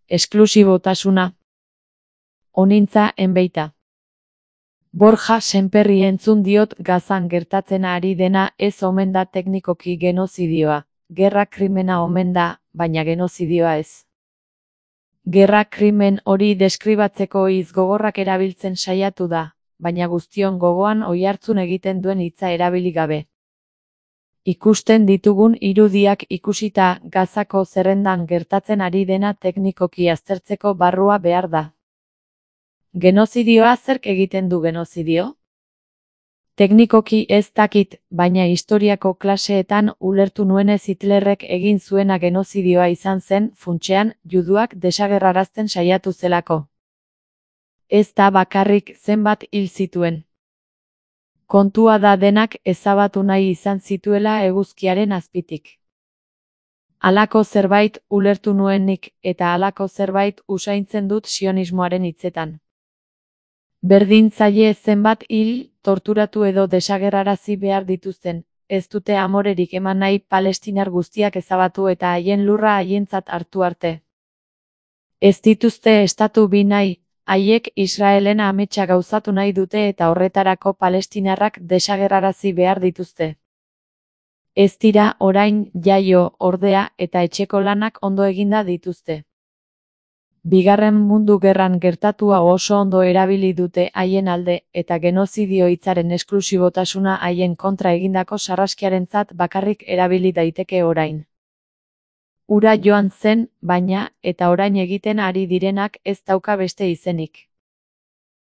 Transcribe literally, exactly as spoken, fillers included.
esklusibotasuna. Onintza enbeita. Borja Sémperri entzun diot Gazan gertatzen ari dena ez omen da teknikoki genozidioa. Gerra krimena omen da, baina genozidioa ez. Gerra krimen hori deskribatzeko hitz gogorrak erabiltzen saiatu da, baina guztion gogoan oihartzun egiten duen hitza erabili gabe. Ikusten ditugun irudiak ikusita Gazako zerrendan gertatzen ari dena teknikoki aztertzeko barrua behar da. Genozidioa zerk egiten du genozidio? Teknikoki ez dakit, baina historiako klaseetan ulertu nuenez Hitlerrek egin zuena genozidioa izan zen, funtsean, juduak desagerrarazten saiatu zelako. Ez da bakarrik zenbat hil zituen. Kontua da denak ezabatu nahi izan zituela eguzkiaren azpitik. Halako zerbait ulertu nuenik eta halako zerbait usaintzen dut sionismoaren hitzetan. Berdin zaie zenbat hil, torturatu edo desagerrarazi behar dituzten, ez dute amorerik eman nahi palestinar guztiak ezabatu eta haien lurra haientzat hartu arte. Ez dituzte estatu bi nahi, haiek Israelen ametsa gauzatu nahi dute eta horretarako palestinarrak desagerrarazi behar dituzte. Ez dira orain jaio, ordea eta etxeko lanak ondo eginda dituzte. Bigarren Mundu Gerran gertatua oso ondo erabili dute haien alde eta genozidio hitzaren esklusibotasuna haien kontra egindako sarraskiarentzat bakarrik erabili daiteke orain. Ura joan zen, baina, eta orain egiten ari direnak ez dauka beste izenik.